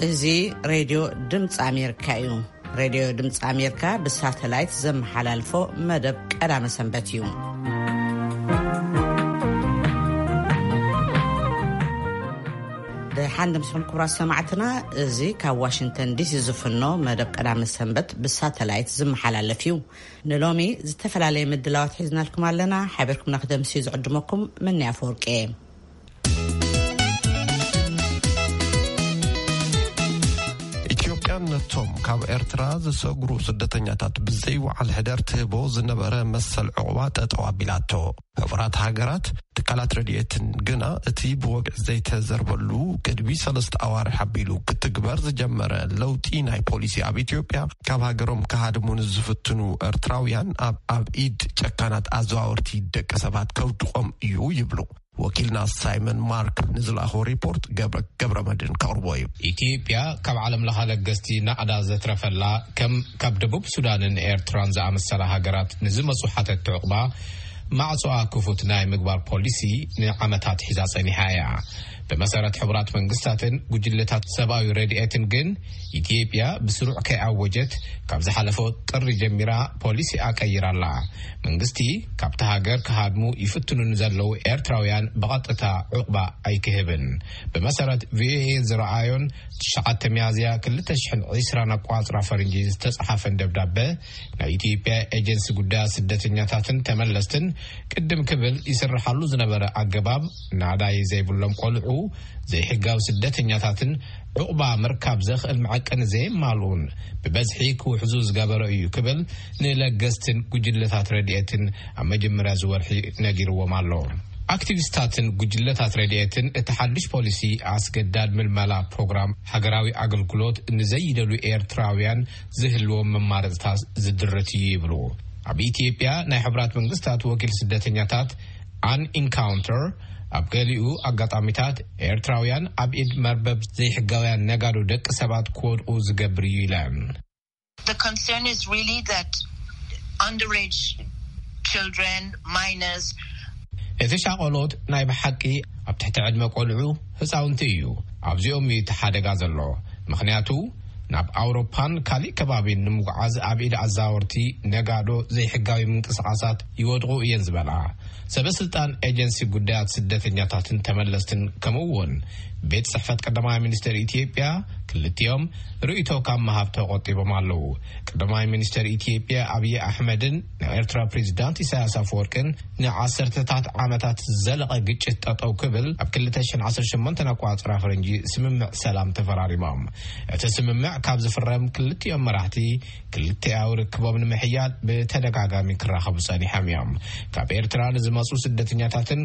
እዚ ሬድዮ ድምፂ ኣሜሪካ እዩ። ሬድዮ ድምፂ ኣሜሪካ ብሳተላይት ዘመሓላልፎ መደብ ቀዳመ ሰንበት እዩ። ደሓን ደምስኹም ክቡራት ሰማዕትና፣ እዚ ካብ ዋሽንግተን ዲሲ ዝፍኖ መደብ ቀዳመ ሰንበት ብሳተላይት ዝመሓላለፍ እዩ። ንሎሚ ዝተፈላለየ ምድላዋት ሒዝናልኩም ኣለና። ሓቢርኩምና ክደምስዩ ዝዕድመኩም ምንያ ኣፈወርቂ እየ። ኢትዮጵያ ነቶም ካብ ኤርትራ ዝሰግሩ ስደተኛታት ብዘይወዓል ሕደር ትህቦ ዝነበረ መሰል ዕቑባ ጠጠው ኣቢላቶ። ሕቡራት ሃገራት ትካላት ረድኤትን ግና እቲ ብወግዒ ዘይተዘርበሉ ቅድሚ ሰለስተ ኣዋርሕ ኣቢሉ ክትግበር ዝጀመረ ለውጢ ናይ ፖሊሲ ኣብ ኢትዮጵያ ካብ ሃገሮም ክሃድሙ ንዝፍትኑ ኤርትራውያን ኣብ፣ ኣብ ኢድ ጨካናት ኣዘዋወርቲ ደቂ ሰባት ከውድቖም እዩ ይብሉ። ወኪልና ሳይመን ማርክ ንዝለኣኾ ሪፖርት ገብረ፣ ገብረ መድህን ከቕርቦ እዩ። ኢትዮጵያ ካብ ዓለም ለኸ ለገስቲ ናቕዳ ዘትረፈላ ከም ካብ ደቡብ ሱዳንን ኤርትራን ዝኣመሰላ ሃገራት ንዝመጹ ሓተትቲ ዕቑባ ማዕጾኣ ክፉት ናይ ምግባር ፖሊሲ ንዓመታት ሒዛ ጸኒሓ እያ። ብመሰረት ሕቡራት መንግስታትን ጉጅለታት ሰብኣዊ ረድኤትን ግን ኢትዮጵያ ብስሩዕ ከይኣወጀት ካብ ዝሓለፈ ጥሪ ጀሚራ ፖሊሲ ኣቀይራ ኣላ። መንግስቲ ካብቲ ሃገር ክሃድሙ ይፍትኑ ንዘለዉ ኤርትራውያን ብቐጥታ ዕቑባ ኣይክህብን። ብመሰረት ቪኦኤ ዝረኣዮን ትሽዓተ ሚያዝያ ክልተ ሽሕን ዕስራን ኣቋጽራ ፈረንጂ ዝተጻሓፈን ደብዳበ ናይ ኢትዮጵያ ኤጀንሲ ጉዳያት ስደተኛታትን ተመለስትን ቅድም ክብል ይስርሓሉ ዝነበረ ኣገባብ ናዳይ ዘይብሎም ቆልዑ ዘይሕጋዊ ስደተኛታትን ዕቑባ ምርካብ ዘኽእል መዐቀኒ ዘየማልኡን ብበዝሒ ክውሕዙ ዝገበረ እዩ ክብል ንለገስትን ጉጅለታት ረድኤትን ኣብ መጀመርያ ዝወርሒ ነጊርዎም ኣሎ። ኣክቲቪስታትን ጉጅለታት ረድኤትን እቲ ሓድሽ ፖሊሲ ኣስገዳድ ምልመላ ፕሮግራም ሃገራዊ ኣገልግሎት ንዘይደሉ ኤርትራውያን ዝህልዎም መማረፅታት ዝድርት እዩ ይብሉ። ኣብ ኢትዮጵያ ናይ ሕቡራት መንግስታት ወኪል ስደተኛታት ኣን ኢንካውንተር ኣብ ገሊኡ ኣጋጣሚታት ኤርትራውያን ኣብ ኢድ መርበብ ዘይሕጋውያን ነጋዶ ደቂ ሰባት ክወድቁ ዝገብር እዩ ኢለን። The concern is really that underage children, minors, እቲ ሻቆሎት ናይ ብሓቂ ኣብ ትሕቲ ዕድመ ቆልዑ ህፃውንቲ እዩ። ኣብዚኦም እዩ እቲ ሓደጋ ዘሎ። ምኽንያቱ ናብ ኣውሮፓን ካሊእ ከባቢን ንምጉዓዝ ኣብ ኢድ ኣዛወርቲ ነጋዶ ዘይሕጋዊ ምንቅስቃሳት ይወድቑ እየን ዝበላ ሰበ ስልጣን ኤጀንሲ ጉዳያት ስደተኛታትን ተመለስትን ከምኡ እውን ቤት ጽሕፈት ቀዳማይ ሚኒስትር ኢትዮጵያ ክልቲኦም ርእይቶ ካብ ምሃብ ተቆጢቦም ኣለዉ። ቀዳማይ ሚኒስትር ኢትዮጵያ ኣብይ ኣሕመድን ናይ ኤርትራ ፕሬዚዳንት ኢሳያስ ኣፈወርቅን ንዓሰርተታት ዓመታት ዝዘለቐ ግጭት ጠጠው ክብል ኣብ ክልተ ሽሕን ዓሰርተ ሸሞንተን ኣቋጽራ ፈረንጂ ስምምዕ ሰላም ተፈራሪሞም። እቲ ስምምዕ ካብ ዝፍረም ክልቲኦም መራሕቲ ክልቲኣዊ ርክቦም ንምሕያል ብተደጋጋሚ ክራኸቡ ጸኒሖም እዮም። ካብ ኤርትራ ንዝመጹ ስደተኛታትን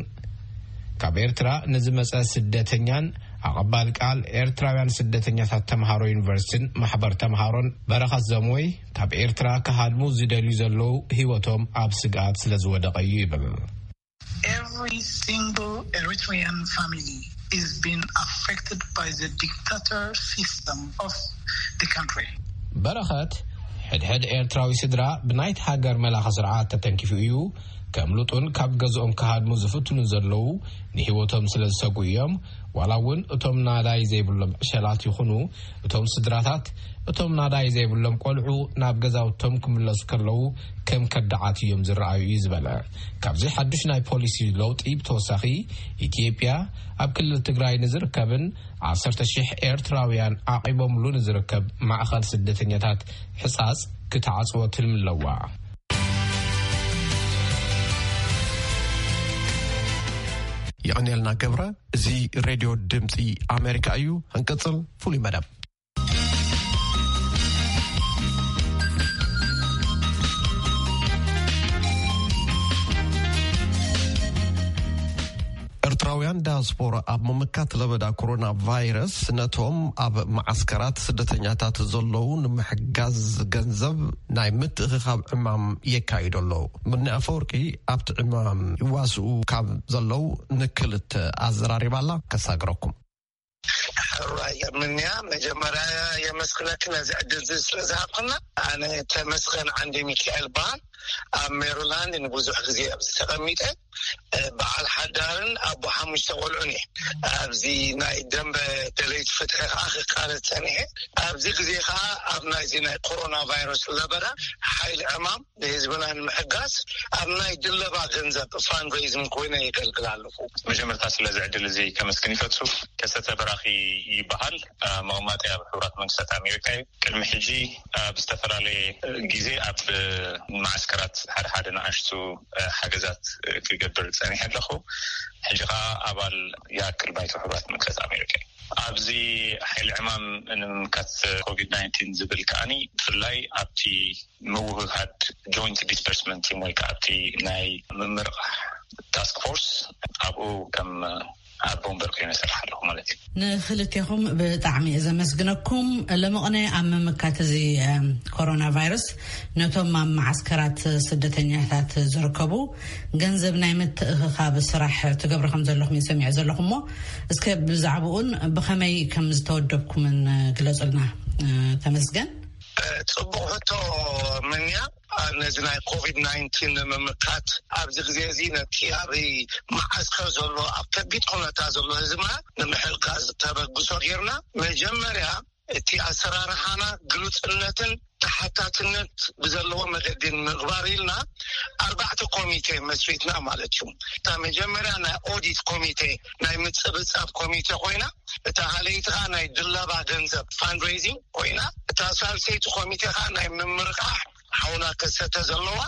ካብ ኤርትራ ንዝመጸ ስደተኛን ኣቐባል ቃል ኤርትራውያን ስደተኛታት ተምሃሮ ዩኒቨርሲቲን ማሕበር ተምሃሮን በረኸት ዘምወይ ካብ ኤርትራ ክሃድሙ ዝደልዩ ዘለዉ ህይወቶም ኣብ ስግኣት ስለ ዝወደቐ እዩ ይብል። Every single Eritrean family is being affected by the dictator system of the country. በረኸት ሕድሕድ ኤርትራዊ ስድራ ብናይቲ ሃገር መላኸ ስርዓት ተተንኪፉ እዩ። ከምልጡን ካብ ገዝኦም ክሃድሙ ዝፍትኑ ዘለዉ ንህይወቶም ስለ ዝሰጉ እዮም። ዋላ እውን እቶም ናዳይ ዘይብሎም ዕሸላት ይኹኑ እቶም ስድራታት እቶም ናዳይ ዘይብሎም ቆልዑ ናብ ገዛውቶም ክምለሱ ከለዉ ከም ከዳዓት እዮም ዝረኣዩ እዩ ዝበለ። ካብዚ ሓዱሽ ናይ ፖሊሲ ለውጢ ብተወሳኺ ኢትዮጵያ ኣብ ክልል ትግራይ ንዝርከብን ዓሰርተ ሽሕ ኤርትራውያን ዓቂቦምሉ ንዝርከብ ማእኸል ስደተኛታት ሕጻጽ ክትዓጽዎ ትልሚ ኣለዋ። የቐንየልና ገብረ። እዚ ሬድዮ ድምፂ ኣሜሪካ እዩ። ክንቅፅል ፍሉይ መደብ። ኤርትራውያን ዳያስፖራ ኣብ ምምካት ለበዳ ኮሮና ቫይረስ ነቶም ኣብ መዓስከራት ስደተኛታት ዘለዉ ንምሕጋዝ ገንዘብ ናይ ምትእኽኻብ ዕማም የካይዱ ኣለዉ። ምኒ ኣፈወርቂ ኣብቲ ዕማም ይዋስኡ ካብ ዘለዉ ንክልተ ኣዘራሪባ ኣላ። ከሳግረኩም። ራይ ምንያ፣ መጀመርያ የመስግነኪ ነዚ ዕድል እዚ ስለ ዝሃብክና። ኣነ ተመስገን ዓንዲ ሚካኤል በሃል። ኣብ ሜሪላንድ ንብዙሕ ግዜ ኣብዚ ተቐሚጠ፣ በዓል ሓዳርን ኣቦ ሓሙሽተ ቆልዑን እየ። ኣብዚ ናይ ደንበ ደለይቲ ፍትሒ ከዓ ክቃለስ ጸኒሐ። ኣብዚ ግዜ ከዓ ኣብ ናይዚ ናይ ኮሮና ቫይረስ ለበዳ ሓይሊ ዕማም ንህዝብና ንምሕጋዝ ኣብ ናይ ድለባ ገንዘብ ፋንድሬይዚንግ ኮይነ የገልግል ኣለኹ። መጀመርታ ስለዚ ዕድል እዚ ከመስግን ይፈቱ። ከሰተ በራኺ ይበሃል። መቐማጢ ኣብ ሕቡራት መንግስታት ኣሜሪካ እዩ። ቅድሚ ሕጂ ኣብ ዝተፈላለየ ግዜ ኣብ መዓስከራት ሓደ ሓደ ንኣሽቱ ሓገዛት ክገብር ጸኒሐ ኣለኹ። ሕጂ ከዓ ኣባል ይኣክል ባይቶ ሕቡራት መንግስታት ኣሜሪካ እዩ። ኣብዚ ሓይሊ ዕማም ንምምካት ኮቪድ ናይንቲን ዝብል ከዓኒ ብፍላይ ኣብቲ ምውህሃድ ጆይንት ዲስፐርስመንት ቲም ወይ ከዓ ኣብቲ ናይ ምምርቃሕ ታስክ ፎርስ ኣብኡ ከም ኣቦ ወንበር ኮይነ እሰርሕ ኣለኹ ማለት እዩ። ንክልቴኹም ብጣዕሚ እየ ዘመስግነኩም። ሎሚ ቅነ ኣብ ምምካት እዚ ኮሮና ቫይረስ ነቶም ኣብ መዓስከራት ስደተኛታት ዝርከቡ ገንዘብ ናይ ምትእኽኻብ ስራሕ ትገብሩ ከም ዘለኹም እየ ሰሚዐ ዘለኹ እሞ እስከ ብዛዕባኡን ብኸመይ ከም ዝተወደብኩምን ግለጹልና። ተመስገን። ጽቡቕ ሕቶ ምንያ። ነዚ ናይ ኮቪድ ናይንቲን ንምምካት ኣብዚ ግዜ እዚ ነቲ ኣብ መዓስከር ዘሎ ኣብ ከቢድ ኩነታ ዘሎ ህዝብና ንምሕጋዝ ተበግሶ ጌርና መጀመርያ እቲ ኣሰራርሓና ግሉጽነትን ተሓታትነት ብዘለዎ መገዲ ንምግባር ኢልና ኣርባዕተ ኮሚቴ መስሪትና ማለት እዩ። እታ መጀመርያ ናይ ኦዲት ኮሚቴ ናይ ምጽብጻብ ኮሚቴ ኮይና፣ እታ ካልኣይቲ ከዓ ናይ ድለባ ገንዘብ ፋንድሬዚንግ ኮይና፣ እታ ሳልሰይቲ ኮሚቴ ከዓ ናይ ምምርቃሕ ሓውና ከሰተ ዘለዋ፣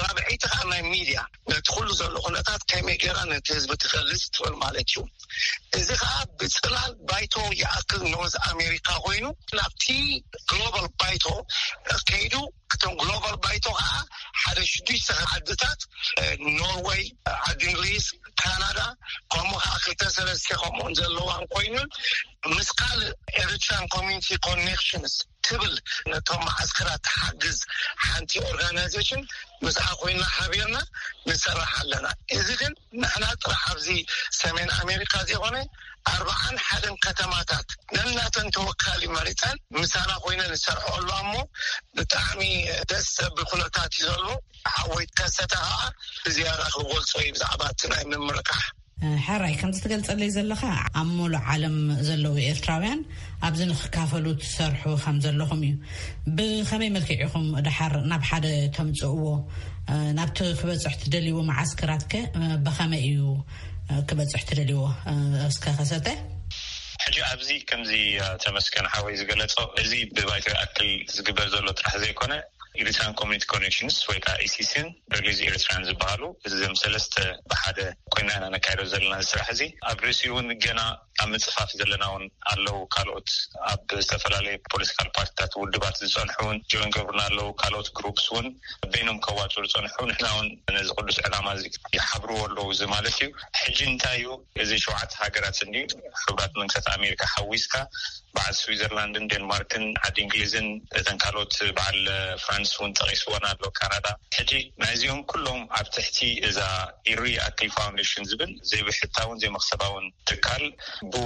ራብዐይቲ ከዓ ናይ ሚድያ ነቲ ኩሉ ዘሎ ኩነታት ከመይ ገይራ ነቲ ህዝቢ ትገልጽ ትብል ማለት እዩ። እዚ ከዓ ብጽላል ባይቶ ይኣክል ኖርዝ ኣሜሪካ ኮይኑ ናብቲ ግሎባል ባይቶ ከይዱ፣ እቶም ግሎባል ባይቶ ከዓ ሓደ ሽዱሽተ ዓድታት፣ ኖርወይ፣ ዓዲ እንግሊዝ፣ ካናዳ፣ ከምኡ ከዓ ክልተ ሰለስተ ከምኡን ዘለዋን ኮይኑን ምስ ካልእ ኤሪትራን ኮሚኒቲ ኮኔክሽንስ ትብል ነቶም መዓስከራት ትሓግዝ ሓንቲ ኦርጋናይዜሽን ምስኣ ኮይና ሓቢርና ንሰርሕ ኣለና። እዚ ግን ንሕና ጥራሕ ኣብዚ ሰሜን ኣሜሪካ ዘይኮነ ኣርባዓን ሓደን ከተማታት ነናተን ተወካሊ መሪፀን ምሳና ኮይነ ንሰርሖ ኣሎ። እሞ ብጣዕሚ ደስ ዘብል ኩነታት እዩ ዘሎ። ሓወይ ከሰተ ከዓ ብዝያዳ ክገልፆ እዩ ብዛዕባ እቲ ናይ ምምርቃሕ። ሕራይ ከምዚ ትገልጸለይ ዘለኻ ኣብ ሙሉእ ዓለም ዘለዉ ኤርትራውያን ኣብዚ ንክካፈሉ ትሰርሑ ከም ዘለኹም እዩ። ብኸመይ መልክዕ ኢኹም ድሓር ናብ ሓደ ተምጽእዎ? ናብቲ ክበጽሕ ትደልይዎ መዓስከራትከ ብኸመይ እዩ ክበጽሕ ትደልይዎ? እስከ ከሰተ። ሕጂ ኣብዚ ከምዚ ተመስገን ሓወይ ዝገለጾ እዚ ብባይቶ ይኣክል ዝግበር ዘሎ ጥራሕ ዘይኮነ ኤሪትራን ኮሚኒቲ ኮኔክሽንስ ወይ ከዓ ኢሲሲን ሪሊዝ ኤሪትራን ዝበሃሉ እዞም ሰለስተ ብሓደ ኮይና ኢና ነካይዶ ዘለና ስራሕ እዚ። ኣብ ርእሲ እውን ገና ኣብ ምፅፋፍ ዘለና እውን ኣለዉ። ካልኦት ኣብ ዝተፈላለዩ ፖለቲካል ፓርቲታት ውድባት ዝፀንሑ እውን ጆይን ገብሩና ኣለዉ። ካልኦት ግሩፕስ እውን በይኖም ከዋፅኡ ዝፀንሑ ንሕና እውን ነዚ ቅዱስ ዕላማ እዚ ይሓብርዎ ኣለዉ። እዚ ማለት እዩ ሕጂ እንታይ እዩ እዚ ሸውዓተ ሃገራት እንዲ ሕቡራት መንግስታት ኣሜሪካ ሓዊስካ በዓል ስዊዘርላንድን ዴንማርክን ዓዲ እንግሊዝን እተን ካልኦት በዓል ፍራንስ እውን ጠቂስወን ኣሎ ካናዳ። ሕጂ ናይዚኦም ኩሎም ኣብ ትሕቲ እዛ ኢሪ ኣክል ፋውንዴሽን ዝብል ዘይብሕታውን ዘይመክሰባውን ትካል ብኡ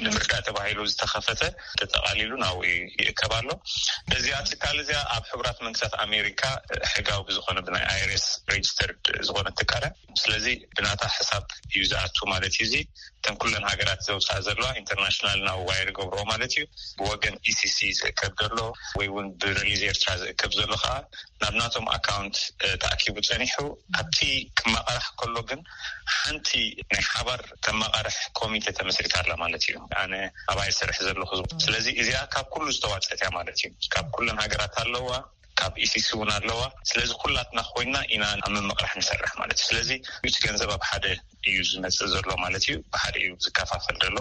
ንምርዳእ ተባሂሉ ዝተኸፈተ ተጠቃሊሉ ናብኡ ይእከብ ኣሎ። እዚኣ ትካል እዚኣ ኣብ ሕቡራት መንግስታት ኣሜሪካ ሕጋዊ ብዝኾነ ብናይ ኣይርስ ሬጅስተርድ ዝኾነ ትካል እያ። ስለዚ ብናታ ሕሳብ እዩ ዝኣቱ ማለት እዩ። እዚ እተን ኩለን ሃገራት ዘውፅኣ ዘለዋ ኢንተርናሽናል ናብ ዋይር ገብሮ ማለት እዩ። ብወገን ኢሲሲ ዝእከብ ዘሎ ወይ እውን ብሪሊዝ ኤርትራ ዝእከብ ዘሎ ከዓ ናብ ናቶም ኣካውንት ተኣኪቡ ፀኒሑ ኣብቲ ክመቐራሕ ከሎ ግን ሓንቲ ናይ ሓባር ተመቐርሕ ኮሚቴ ተመስሪታ ኣላ ማለት እዩ። ኣነ ኣብኣ ይሰርሕ ዘለኹ። ስለዚ እዚኣ ካብ ኩሉ ዝተዋፀት እያ ማለት እዩ። ካብ ኩለን ሃገራት ኣለዋ፣ ካብ ኢሲሲ እውን ኣለዋ። ስለዚ ኩላትና ኮይና ኢና ኣብ ምምቕራሕ ንሰርሕ ማለት እዩ። ስለዚ እቲ ገንዘብ ኣብ ሓደ እዩ ዝመፅእ ዘሎ ማለት እዩ። ብሓደ እዩ ዝከፋፈል ዘሎ።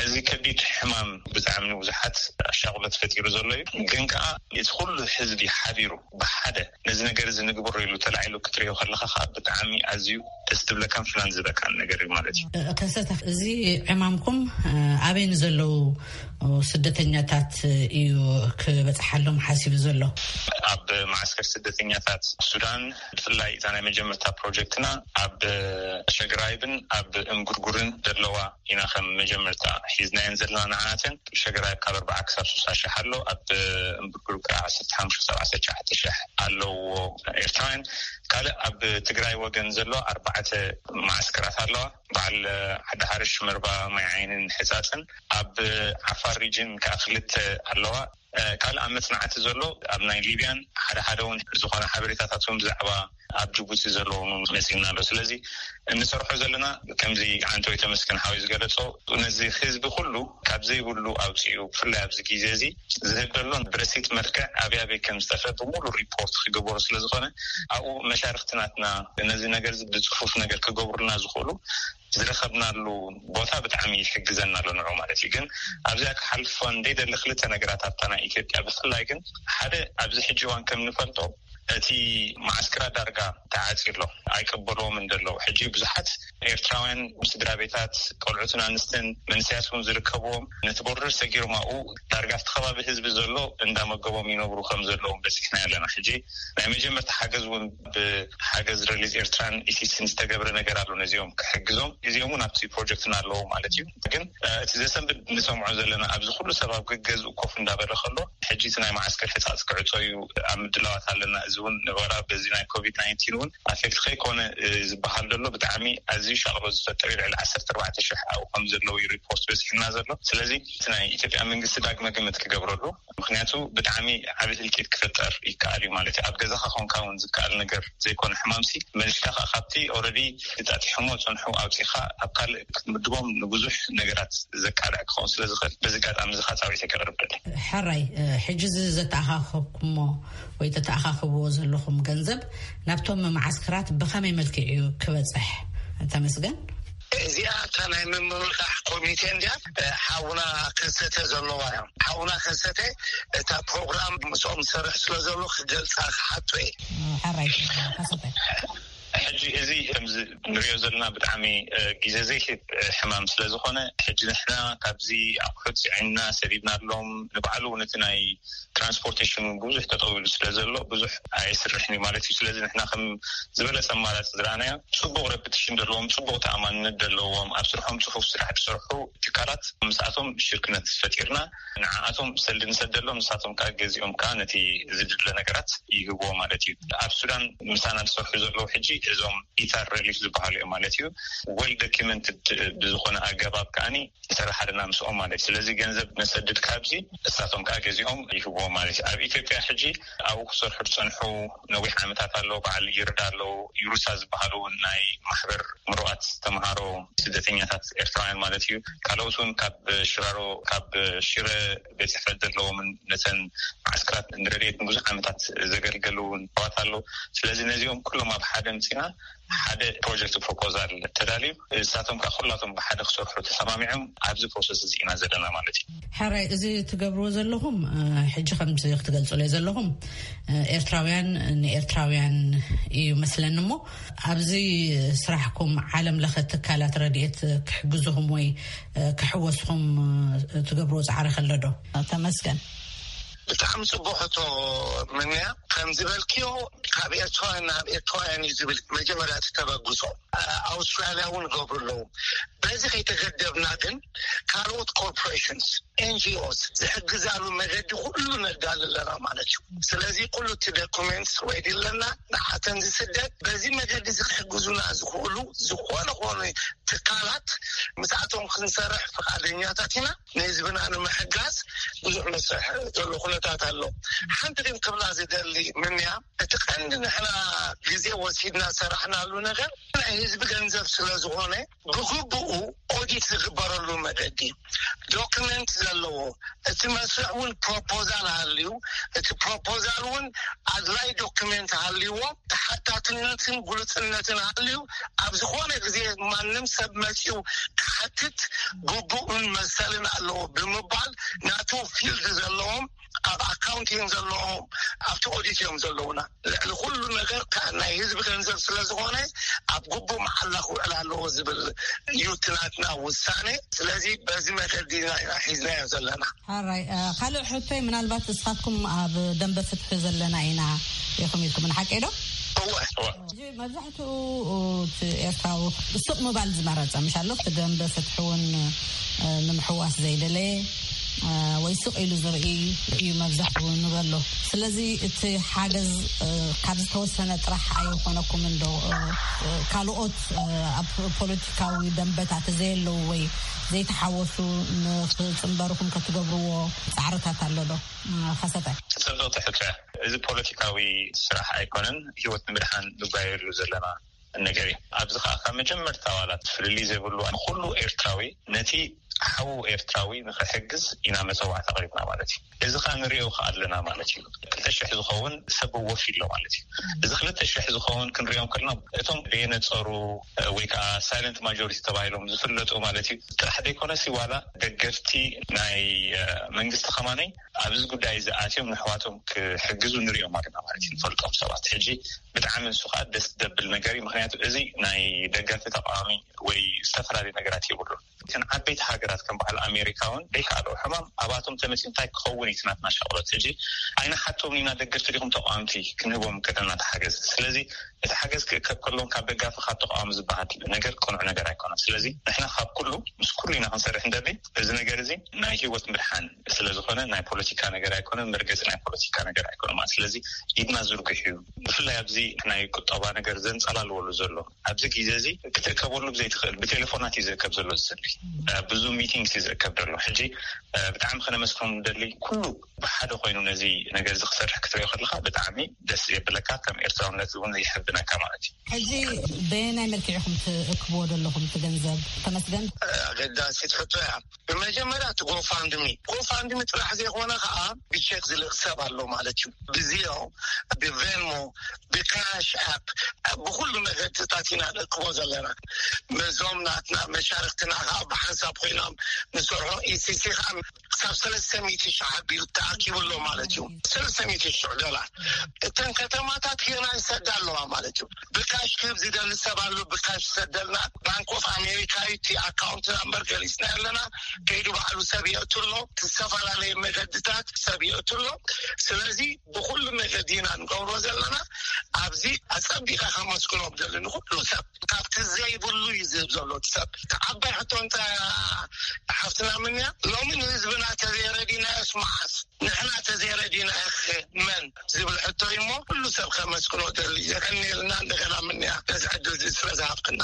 እዚ ከቢድ ሕማም ብጣዕሚ ንብዙሓት ኣሻቕሎት ፈጢሩ ዘሎ እዩ። ግን ከዓ እቲ ኩሉ ህዝቢ ሓቢሩ ብሓደ ነዚ ነገር እዚ ንግበሮ ኢሉ ተላዒሉ ክትሪኦ ከለካ ከዓ ብጣዕሚ ኣዝዩ ደስ ትብለካን ፍናን ዝበካን ነገር እዩ ማለት እዩ። ከሰተ፣ እዚ ዕማምኩም ኣበይ ንዘለዉ ስደተኛታት እዩ ክበፅሓሎም ሓሲቡ ዘሎ? ኣብ ማዓስከር ስደተኛታት ሱዳን፣ ብፍላይ እዛ ናይ መጀመርታ ፕሮጀክትና ኣብ ሸግራይብን ኣብ እምጉርጉርን ዘለዋ ኢና ከም መጀመርታ ሒዝናየን ዘለና። ንዓናተን ሸግራይብ ካብ ኣርባዓ ክሳብ ሱሳ ሽሕ ኣሎ፣ ኣብ እምጉርጉር ከዓ ዓሰርተ ሓሙሽተ ክሳብ ዓሰርተ ትሽዓተ ሽሕ ኣለዎ ኤርትራውያን። ካልእ ኣብ ትግራይ ወገን ዘሎ ኣርባዕተ ማዓስከራት ኣለዋ። በዓል ዓዲ ሓርሽ፣ መርባ፣ ማይ ዓይንን ሕፃፅን። ኣብ ዓፋር ሪጅን ከዓ ክልተ ኣለዋ። ካልእ ኣብ መፅናዕቲ ዘሎ ኣብ ናይ ሊብያን ሓደ ሓደ እውን ዝኾነ ሓበሬታታት እውን ብዛዕባ ኣብ ጅቡቲ ዘለዎም እውን መፂና ኣሎ። ስለዚ እንሰርሖ ዘለና ከምዚ ዓንተወይ ተመስገን ሓወይ ዝገለፆ፣ ነዚ ህዝቢ ኩሉ ካብ ዘይብሉ ኣውፅኡ፣ ብፍላይ ኣብዚ ግዜ እዚ ዝህብ ዘሎ ብረሲት መልክዕ ኣበይ ኣበይ ከም ዝጠፈ ብሙሉ ሪፖርት ክግበሩ ስለዝኾነ፣ ኣብኡ መሻርክቲ ናትና ነዚ ነገር እዚ ብፅፉፍ ነገር ክገብሩልና ዝኽእሉ ዝረኸብናሉ ቦታ ብጣዕሚ ይሕግዘና ኣሎ ንዑ ማለት እዩ። ግን ኣብዚኣ ክሓልፎ እንደይደሊ ክልተ ነገራት ኣብታ ናይ ኢትዮጵያ ብፍላይ ግን ሓደ ኣብዚ ሕጂ እዋን ከም ንፈልጦ እቲ ማዓስከራ ዳርጋ ተዓፂ ኣሎ፣ ኣይቀበልዎም እንደለዉ። ሕጂ ብዙሓት ኤርትራውያን ስድራ ቤታት፣ ቆልዑትን ኣንስትን መንእሰያት እውን ዝርከብዎም ነቲ ቦርደር ሰጊሮም ኣብኡ ዳርጋ ኣብቲ ከባቢ ህዝቢ ዘሎ እንዳመገቦም ይነብሩ ከም ዘለዎም በፂሕና ኣለና። ሕጂ ናይ መጀመርታ ሓገዝ እውን ብሓገዝ ሪሊፍ ኤርትራን ኢሲስን ዝተገብረ ነገር ኣሎ ነዚኦም ክሕግዞም። እዚኦም እውን ኣብቲ ፕሮጀክትና ኣለዉ ማለት እዩ። ግን እቲ ዘሰንብድ ንሰምዖ ዘለና ኣብዚ ኩሉ ሰብ ኣብ ገገዝኡ ኮፍ እንዳበለ ከሎ ሕጂ እቲ ናይ ማዓስከር ሕፃፅ ክዕፆ እዩ ኣብ ምድላዋት ኣለና። እዚ እውን ንበራ በዚ ናይ ኮቪድ ናይንቲን እውን ኣፌክት ከይኮነ ዝበሃል ዘሎ ብጣዕሚ ኣዝዩ ሻቕሎ ዝፈጠር እዩ። ልዕሊ ዓሰርተ ኣርባዕተ ሽሕ ኣብኡ ከም ዘለዉ እዩ ሪፖርት በፂሕና ዘሎ። ስለዚ እቲ ናይ ኢትዮጵያ መንግስቲ ዳግመ ግምት ክገብረሉ፣ ምክንያቱ ብጣዕሚ ዓቢ ህልቂት ክፍጠር ይከኣል እዩ ማለት እዩ። ኣብ ገዛኻ ኮንካ እውን ዝከኣል ነገር ዘይኮነ ሕማምሲ መሊስካ ከዓ ካብቲ ኦረዲ ተጣጢሖሞ ዝፀንሑ ኣውፂኻ ኣብ ካልእ ክትምድቦም ንብዙሕ ነገራት ዘቃልዕ ክኸውን ስለ ዝኽእል በዚ ኣጋጣሚ እዚ ከዓ ፃውዒተይ ከቕርብ ደሊ። ሕራይ፣ ሕጂ እዚ ዘተኣኻኸብኩሞ ወይ ተተኣኻኽብዎ ዘለኹም ገንዘብ ናብቶም መዓስከራት ብኸመይ መልክዕ እዩ ክበፅሕ? ተመስገን። እዚኣ እታ ናይ ምምርቓሕ ኮሚቴ እንድያ። ሓውና ከሰተ ዘለዋ እዮም። ሓውና ከሰተ እታ ፕሮግራም ምስኦም ዝሰርሕ ስለ ዘሎ ክገልፃ ክሓቶ እየ። ሕራይ፣ ከሰተ። ሕጂ እዚ ከምዚ ንሪኦ ዘለና ብጣዕሚ ግዜ ዘይህብ ሕማም ስለ ዝኾነ፣ ሕጂ ንሕና ካብዚ ኣቑሑት ፅዒንና ሰዲድናሎም፣ ንባዕሉ እውን እቲ ናይ ትራንስፖርቴሽን እውን ብዙሕ ጠጠው ኢሉ ስለ ዘሎ ብዙሕ ኣይስርሕን እዩ ማለት እዩ። ስለዚ ንሕና ከም ዝበለፀ ኣማራፂ ዝረኣናዮ፣ ፅቡቕ ረፕቲሽን ዘለዎም፣ ፅቡቕ ተኣማንነት ዘለዎም፣ ኣብ ስርሖም ፅፉፍ ስራሕ ዝሰርሑ ትካላት ምስኣቶም ሽርክነት ፈጢርና ንዓኣቶም ሰልዲ ንሰደሎም፣ ንሳቶም ከዓ ገዚኦም ከዓ ነቲ ዝድለ ነገራት ይህብዎ ማለት እዩ። ኣብ ሱዳን ምሳና ዝሰርሑ ዘለዉ ሕጂ እዞም ኢታር ሪሊፍ ዝበሃሉ እዮም ማለት እዩ። ወል ዶኪመንትድ ብዝኾነ ኣገባብ ከዓኒ ይሰርሓልና ምስኦም ማለት እዩ። ስለዚ ገንዘብ ነሰድድ ካብዚ፣ እሳቶም ከዓ ገዚኦም ይህብዎም ማለት እዩ። ኣብ ኢትዮጵያ ሕጂ ኣብኡ ክሰርሑ ዝፀንሑ ነዊሕ ዓመታት ኣለዉ። በዓል ይርዳ ኣለዉ፣ ዩሩሳ ዝበሃሉ እውን ናይ ማሕበር ምሩቓት ተምሃሮ ስደተኛታት ኤርትራውያን ማለት እዩ። ካልኦት እውን ካብ ሽራሮ፣ ካብ ሽረ ቤት ጽሕፈት ዘለዎምን ነተን ማዓስከራት ንረድኤት ንብዙሕ ዓመታት ዘገልገሉ እውን ኣሕዋት ኣለዉ። ስለዚ ነዚኦም ኩሎም ኣብ ሓደ ምጺና ሓደ ፕሮጀክት ፕሮፖዛል ተዳልዩ፣ ንሳቶም ከዓ ኩላቶም ብሓደ ክሰርሑ ተሰማሚዖም ኣብዚ ፕሮሰስ እዚ ኢና ዘለና ማለት እዩ። ሕራይ፣ እዚ ትገብርዎ ዘለኹም፣ እ፣ ሕጂ ከምዚ ክትገልጹለይ ዘለኹም፣ እ፣ ኤርትራውያን ንኤርትራውያን እዩ መስለኒ እሞ፣ ኣብዚ ስራሕኩም ዓለም ለኸ ትካላት ረድኤት ክሕግዙኹም ወይ፣ እ፣ ክሕወስኹም፣ እ፣ ትገብርዎ ጻዕሪ ከሎ ዶ? ተመስገን። ብጣዕሚ ጽቡቕ ሕቶ ምንያ። ከም ዝበልክዮ፣ ካብ ኤርትራውያን ናብ ኤርትራውያን እዩ ዝብል መጀመርያ እቲ ተበግሶ። ኣ-፣ ኣውስትራልያ እውን ይገብሩ ኣለዉ። በዚ ከይተገደብና ግን ካልኦት ኮርፖሬሽንስ፣ ኤንጂኦስ ዝሕግዛሉ መገዲ ኩሉ ነዳሊ ኣለና ማለት እዩ። ስለዚ ኩሉ እቲ ዶኩሜንትስ ሬዲ ኣለና። ንዓተን ዝስደድ በዚ መገዲ እዚ ክሕግዙና ዝኽእሉ ዝኾነ ኾነ ትካላት ምስኣቶም ክንሰርሕ ፍቓደኛታት ኢና። ንህዝብና ንምሕጋዝ ብዙሕ መስርሕ ዘሎ ኩነታት ኣሎ። ሓንቲ ግን ክብላ ዝደሊ ምንያ፣ እቲ ቀንዲ ንሕና ግዜ ወሲድና ሰራሕናሉ ነገር ናይ ህዝቢ ገንዘብ ስለ ዝኾነ ብግቡኡ ኦዲት ዝግበረሉ መገዲ፣ ዶክመንት ዘለዎ፣ እቲ መስርሕ እውን ፕሮፖዛል ሃልዩ፣ እቲ ፕሮፖዛል እውን ኣድላይ ዶክመንት ሃልይዎ፣ ተሓታትነትን ግሉጽነትን ሃልዩ፣ ኣብ ዝኾነ ግዜ ማንም ሰብ መጺኡ ክሓትት ግቡእን መሰልን ኣለዎ ብምባል፣ ናቱ ፊልድ ዘለዎም፣ ኣብ ኣካውንት እዮም ዘለዎም፣ ኣብቲ ኦዲት እዮም ዘለውና። ልዕሊ ኩሉ ነገር ከኣ ናይ ህዝቢ ገንዘብ ስለ ዝኾነ፣ ኣብ ግቡእ መዓላ ክውዕል ኣለዎ ዝብል እዩ እቲ ናትና ውሳኔ። ስለዚ በዚ መገዲ ኢና ሒዝናዮ ዘለና። ሓራይ ካልእ ሕቶይ፣ ምናልባት እስኻትኩም ኣብ ደንበ ፍትሒ ዘለና ኢና ኢኹም ኢልኩም ሓቂ ዶ? እወ። መብዛሕትኡ እቲ ኤርትራዊ ስቕ ምባል ዝመረጸ ምሻሎ፣ እቲ ደንበ ፍትሒ እውን ንምሕዋስ ዘይደለየ ወይ ስቕ ኢሉ ዝርኢ እዩ መብዛሕትኡ ንበሎ። ስለዚ እቲ ሓገዝ ካብ ዝተወሰነ ጥራሕ ኣይኾነኩም እንዶ፣ ካልኦት ኣብ ፖለቲካዊ ደንበታት ዘየለዉ ወይ ዘይተሓወሱ ንክፅንበርኹም ከትገብርዎ ፃዕርታት ኣሎ ዶ? ከሰተ። ፅብቕቲ ሕቶ። እዚ ፖለቲካዊ ስራሕ ኣይኮነን፣ ህይወት ንምድሓን ንጓየሉ ዘለና ነገር እዩ። ኣብዚ ከዓ ካብ መጀመርታ ዋላ ፍልልይ ዘይብሉ ኩሉ ኤርትራዊ ነቲ ሓዉ ኤርትራዊ ንክሕግዝ ኢና መፀዋዕታ ኣቕሪብና ማለት እዩ። እዚ ከዓ ንሪኦ ከዓ ኣለና ማለት እዩ። ክልተ ሽሕ ዝኸውን ሰብ ወፊ ኣሎ ማለት እዩ። እዚ ክልተ ሽሕ ዝኸውን ክንሪኦም ከለና፣ እቶም ደየነፀሩ ወይ ከዓ ሳይለንት ማጆሪቲ ተባሂሎም ዝፍለጡ ማለት እዩ ጥራሕ ዘይኮነሲ፣ ዋላ ደገፍቲ ናይ መንግስቲ ከማነይ ኣብዚ ጉዳይ እዚ ኣትዮም ንኣሕዋቶም ክሕግዙ ንሪኦም ኣለና ማለት እዩ። ንፈልጦም ሰባት ሕጂ ብጣዕሚ ንሱ ከዓ ደስ ደብል ነገር እዩ። ምክንያቱ እዚ ናይ ደጋፊ ተቃዋሚ ወይ ዝተፈላለዩ ነገራት የብሉን። እተን ዓበይቲ ሃገራት ከም በዓል ኣሜሪካ እውን ደይከኣልኦ ሕማም ኣባቶም ተመፅዩ እንታይ ክኸውን እዩ እቲ ናትና ሻቕሎት? ሕጂ ኣይንሓቶም ኢና፣ ደገፍቲ ዲኹም ተቃወምቲ ክንህቦም ከለና ተሓገዝ። ስለዚ እቲ ሓገዝ ክእከብ ከሎን ካብ ደጋፊ ካብ ተቃዋሚ ዝበሃል ነገር ቅኑዕ ነገር ኣይኮነን። ስለዚ ንሕና ካብ ኩሉ ምስ ኩሉ ኢና ክንሰርሕ እንደሊ። እዚ ነገር እዚ ናይ ህይወት ምድሓን ስለ ዝኾነ ናይ ፖለቲካ ነገር ኣይኮነን፣ መርገፂ ናይ ፖለቲካ ነገር ኣይኮነን ማለት። ስለዚ ኢድና ዝርግሕ እዩ። ብፍላይ ኣብዚ ናይ ቁጠባ ነገር ዘንፀላልወሉ ዘሎ ኣብዚ ግዜ እዚ ክትእከበሉ ብዘይትኽእል ብቴሌፎናት እዩ ዝእከብ ዘሎ። ዝፅሊ ብዙ ሚቲንግስ እዩ ዝእከብ ዘሎ። ሕጂ ብጣዕሚ ከነመስግኖም ንደሊ። ኩሉ ብሓደ ኮይኑ ነዚ ነገር እዚ ክሰርሕ ክትሪኦ ከለካ ብጣዕሚ ደስ የብለካ፣ ከም ኤርትራውነት እውን ይሕብነካ ማለት እዩ። ሕጂ በየናይ መልክዕ ኢኹም ትእክብዎ ዘለኹም እቲ ገንዘብ? ተመስገን። ኣገዳሲት ሕቶ እያ። ብመጀመርያ እቲ ጎፋንድሚ፣ ጎፋንድሚ ጥራሕ ዘይኮነ ከዓ ብቼክ ዝልእክ ሰብ ኣሎ ማለት እዩ። ብዚዮ፣ ብቬንሞ፣ ብካሽ ኣፕ፣ ብኩሉ መገድታት ኢና ንእክቦ ዘለና። መዞም ናትና መሻርክትና ከዓ ብሓንሳብ ኮይኖም ንሰርሖ። ኢሲሲ ከዓ ክሳብ ሰለስተ ሚእቲ ሺሕ ኣቢሉ ተኣኪቡ ኣሎ ማለት እዩ። ሰለስተ ሚእቲ ሺሕ ዶላር። እተን ከተማታት ገና ይሰዳ ኣለዋ ማለት እዩ። ብካሽ ክህብ ዝደሊ ሰብ ኣሎ፣ ብካሽ ይሰደልና። ባንክ ኦፍ ኣሜሪካ እዩ እቲ ኣካውንት ናምበር ገሊጽና ኣለና። ከይዱ ባዕሉ ሰብ የእቱ ኣሎ። ዝተፈላለዩ መገድታት ሰብ የእቱ ኣሎ። ስለዚ ብኩሉ መገዲ ኢና ንገብሮ ዘለና። ኣብዚ ኣጸቢቐ ከመስግኖ ደሊ ንኩሉ ሰብ፣ ካብቲ ዘይብሉ እዩ ዝህብ ዘሎ እቲ ሰብ። እቲ ዓባይ ሕቶ እንታይ ሓፍትና ምንያ፣ ሎሚ ንህዝብና ተዘይረዲናዮስ መዓስ ንሕና ተዘይረዲና ኢኽ መን ዝብል ሕቶ እዩ እሞ፣ ኩሉ ሰብ ከመስግኖ ደሊ። የቀንየልና እንደገና ምንያ ነዚ ዕድል እዚ ስለ ዝሃብክና።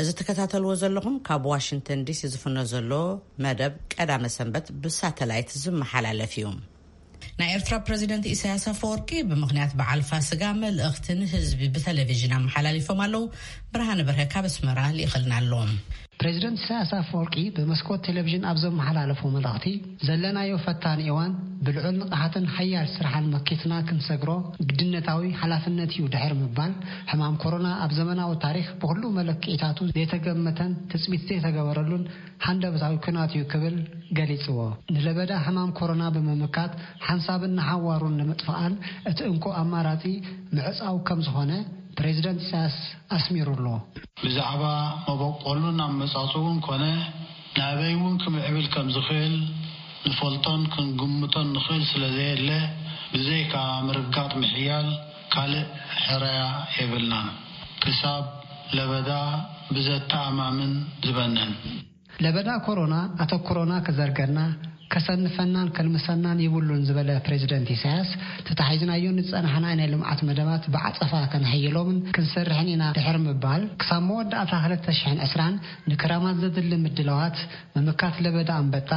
እዚ ትከታተልዎ ዘለኹም ካብ ዋሽንግተን ዲሲ ዝፍኖ ዘሎ መደብ ቀዳመ ሰንበት ብሳተላይት ዝመሓላለፍ እዩ። ናይ ኤርትራ ፕረዚደንት ኢሳያስ ኣፈወርቂ ብምኽንያት በዓል ፋስጋ መልእኽቲ ንህዝቢ ብቴሌቪዥን ኣመሓላሊፎም ኣለዉ። ብርሃነ በርሀ ካብ ኣስመራ ልኢኸልና ኣሎ። ፕረዚደንት ኢሳያስ ኣፈወርቂ ብመስኮት ቴሌቪዥን ኣብ ዘመሓላለፎ መልእኽቲ፣ ዘለናዮ ፈታኒ እዋን ብልዑል ንቕሓትን ሓያል ስራሕን መኪትና ክንሰግሮ ግድነታዊ ሓላፍነት እዩ ድሕሪ ምባል፣ ሕማም ኮሮና ኣብ ዘመናዊ ታሪኽ ብኹሉ መለክዒታቱ ዘይተገመተን ትጽቢት ዘይተገበረሉን ሃንደበታዊ ኲናት እዩ ክብል ገሊጽዎ። ንለበዳ ሕማም ኮሮና ብምምካት ሓንሳብን ንሓዋሩን ንምጥፋኣል እቲ እንኮ ኣማራጺ ምዕጻው ከም ዝኾነ ፕሬዚደንት ኢሳያስ ኣስሚሩ ኣሎ። ብዛዕባ መበቆሉን ኣመጻጽኡን ኮነ ናበይ እውን ክምዕብል ከም ዝኽእል ንፈልጦን ክንግምቶን ንኽእል ስለ ዘየለ፣ ብዘይካ ምርጋጥ ምሕያል ካልእ ሕረያ የብልናን። ክሳብ ለበዳ ብዘተኣማምን ዝበንን። ለበዳ ኮሮና ኣተኩሮና ክዘርገና፣ ከሰንፈናን ከልምሰናን ይብሉን ዝበለ ፕሬዚደንት ኢሳያስ፣ ተታሒዝናዮ ንዝጸናሕና ናይ ልምዓት መደባት ብዓጸፋ ከነሕይሎምን ክንሰርሕን ኢና ድሕሪ ምባል፣ ክሳብ መወዳእታ ክልተ ሽሕን ዕስራን ንክረማት ዘድሊ ምድላዋት፣ ምምካት ለበዳ ኣንበጣ፣